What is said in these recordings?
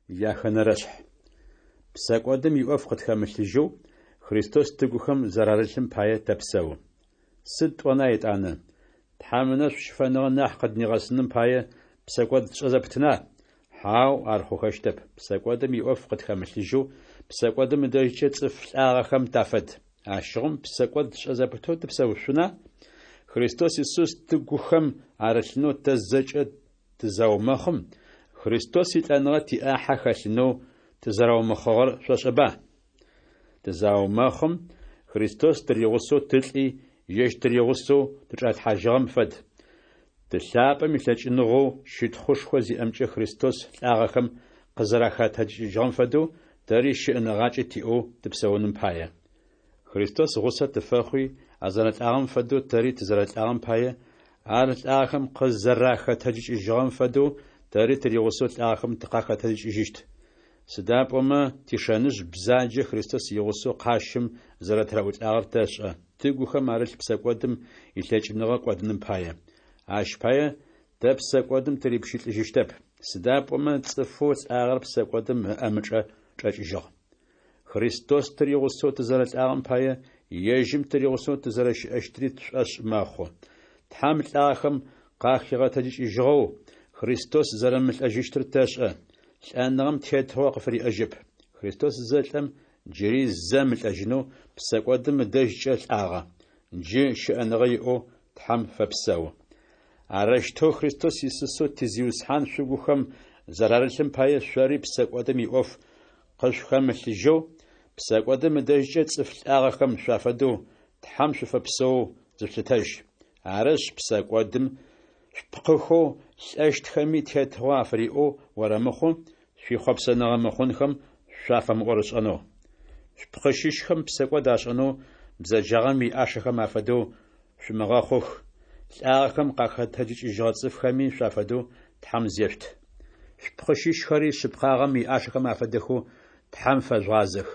Яхэнэрэшъхь. Псэкӏодым иӏоф къытхэмылъыжьэу, Христос тыгухэм зэрарылъым пае тэпсэу. Сыд тӏона етӏанэ? Тхьэм ынэшӏу щыфэныгъэ нахь къыднигъэсыным пае, псэкӏод тшӏэ зэпытына? Хьау, ар хъухэщтэп. Псэкӏодым иӏоф къытхэмылъыжьэу, псэкӏодым ыдэжькӏэ цӏыф лӏагъэхэм тафэд. Ащыгъум псэкӏод тшӏэ зэпытэу тыпсэушъуна? Христос Исус тыгухэм арылъынэу тэ зэкӏэ тызаумэхъым, Христос илӏэныгъэ тиӏахьэ хэлъынэу тызэраумэхъыгъэр шъошӏэба? Тызаумэхъым, Христос тыригъусэу тылӏи, ежь тыригъусэу тычӏалъхьажьыгъэм фэд. Ты лъапӏэм илъэкӏыныгъэу щытхъушхо зиӏэмкӏэ Христос лӏагъэхэм къызэрахэтэджыкӏыжьыгъэм фэдэу, тэри щыӏэныгъакӏэ тиӏэу тыпсэуным пае. Христос гъусэ тыфэхъуи, а зэрэлӏагъэм фэдэу тэри тызэрэлӏагъэм пае, ар лӏагъэхэм къызэрахэтэджыкӏыжьыгъэм фэдэу тэри тыригъусэу лӏагъэхэм тыкъахэтэджыкӏыжьыщт. Сыда пӏомэ тишэныжъ бзаджэ Христос игъусэу къащым зэрэтыраӏулӏагъэр тэшӏэ, тыгухэм арылъ псэкӏодым илъэкӏыныгъэ кӏодыным пае. Ащ пае тэ псэкӏодым тырипщылӏыжьыщтэп, сыда пӏомэ цӏыфэу лӏагъэр псэкӏодым ыӏэмычӏэ чӏэкӏыжьыгъ. Христос тыригъусэу тызэрэлӏагъэм пае, ежьым тыригъусэу тызэрэщыӏэщтри тшӏошъ мэхъу. Тхьэм лӏагъэхэм къахигъэтэджыкӏыжьыгъэу, Христос зэрэмылӏэжьыщтыр тэшӏэ. Лӏэныгъэм тетыгъо къыфыриӏэжьэп. Христос зэлӏэм, джыри зэ мылӏэжьынэу псэкӏодым ыдэжькӏэ лӏагъэ. Джы щыӏэныгъэ иӏэу Тхьэм фэпсэу. Арэущтэу Христос Исусэу ти Зиусхьан шъугухэм зэрарылъым пае шъори псэкӏодым иӏоф къышъухэмылъыжьэу, псэкӏодым ыдэжькӏэ цӏыф лӏагъэхэм шъуафэдэу Тхьэм шъуфэпсэоу зышъулъытэжь. Арышъ, псэкӏодым шъупкъыхэу лӏэщтхэми тетыгъо афыриӏэу орэмыхъу, шъуихъопсэныгъэ мыхъунхэм шъуафэмыӏорышӏэнэу. Шъупкъы щыщхэм псэкӏод ашӏэнэу бзэджагъэм иӏашэхэм афэдэу шъумыгъэхъух, лӏагъэхэм къахэтэджыкӏыжьыгъэ цӏыфхэми шъуафэдэу Тхьэм зешъут. Шъупкъы щыщхэри шъыпкъагъэм иӏашэхэм афэдэхэу Тхьэм фэжъугъазэх.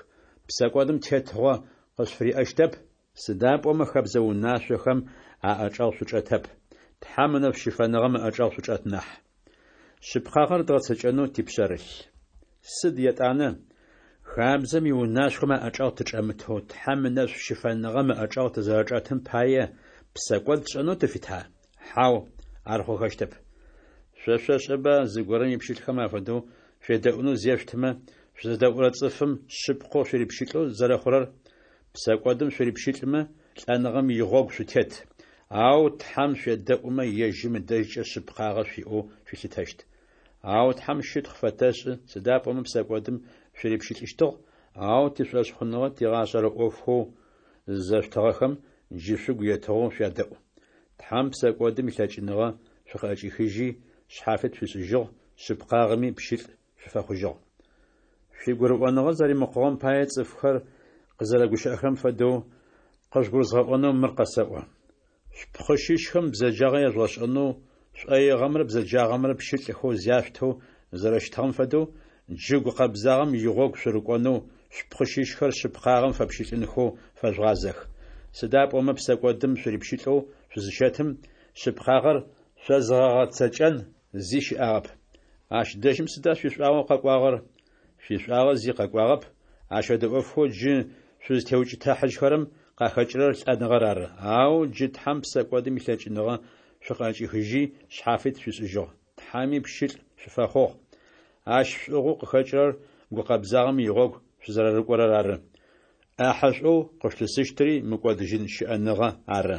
Псэкӏодым тетыгъо къышъуфыриӏэщтэп, сыда пӏомэ хэбзэ унашъохэм аӏэчӏэгъ шъучӏэтэп, Тхьэм ынэшӏу щыфэныгъэм ыӏэчӏэгъ шъучӏэт нахь. Шъыпкъагъэр дгъэцэкӏэнэу типшъэрылъ. Сыд етӏанэ? Хабзэм иунашъохэм аӏэчӏэгъ тычӏэмытэу Тхьэм ынэшӏу щыфэныгъэм ыӏэчӏэгъ тызэрэчӏэтым пае псэкӏод тшӏэнэу тыфита? Хьау, ар хъухэщтэп. Шъо шъошӏэба зыгорэм ипщылӏхэм афэдэу шъуедэӏунэу зешъутымэ, шъузэдэӏурэ цӏыфым шъыпкъэу шъурипщылӏэу зэрэхъурэр? Псэкӏодым шъурипщылӏмэ, лӏэныгъэм игъогу шъутет, ау Тхьэм шъуедэӏумэ, ежьым ыдэжькӏэ шъыпкъагъэ шъуиӏэу шъуилъытэщт. Ау Тхьэм щытхъу фэтэшӏы, сыда пӏомэ псэкӏодым шъурипщылӏыщтыгъ, ау тишӏошъхъуныгъэ тигъашӏэрэ ӏофхэу зызэшъутыгъэхэм джы шъугу етыгъэу шъуядэӏу. Тхьэм псэкӏодым илъэкӏыныгъэ шъукъыӏэкӏихыжьи, шъхьафит шъуишӏыжьыгъ, шъыпкъагъэми пщылӏ шъуфэхъужьыгъ. Шъуигурыӏоныгъэ зэримыкъугъэм пае цӏыфхэр къызэрэгущыӏэхэрэм фэдэу, къыжъугурызгъэӏонэу мыр къэсэӏо. Шъупкъы щыщхэм бзэджагъэ ежъугъэшӏэнэу шӏоигъэмрэ бзэджагъэмрэ пщылӏхэу зяшъутэу зэрэщытыгъэм фэдэу, джы гукъэбзагъэм игъогу шъурыкӏонэу, шъупкъы щыщхэр шъыпкъагъэм фэпщылӏынхэу фэжъугъазэх. Сыда пӏомэ псэкӏодым шъурипщылӏэу шъузыщэтым, шъыпкъагъэр шъозыгъэгъэцэкӏэн зи щыӏагъэп. Ащ дэжьым сыда шъуишӏуагъэу къэкӏуагъэр? Шъуишӏуагъэ зи къэкӏуагъэп, ащ фэдэ ӏофхэу джы шъузтеукӏытыхьажьхэрэм къахэкӏырэр лӏэныгъэр ары. Ау джы Тхьэм псэкӏодым илъэкӏыныгъэ шъукъыӏэкӏихыжьи, шъхьафит шъуишӏыжьыгъ, Тхьэми пщылӏ шъуфэхъугъ. Ащ шӏугъэу къыхэкӏырэр гукъэбзагъэм игъогу шъузэрэрыкӏорэр ары. ӏахьэшӏоу къышъулъысыщтыри мыкӏодыжьын щыӏэныгъэ ары.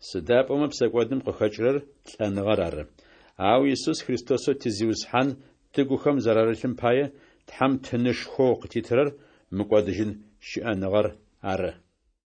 Сыда пӏомэ псэкӏодым къыхэкӏырэр лӏэныгъэр ары. Ау Исус Христосэу ти Зиусхьан тыгухэм зэрарылъым пае, Тхьэм тынышхоу къытитырэр мыкӏодыжьын щыӏэныгъэр ары.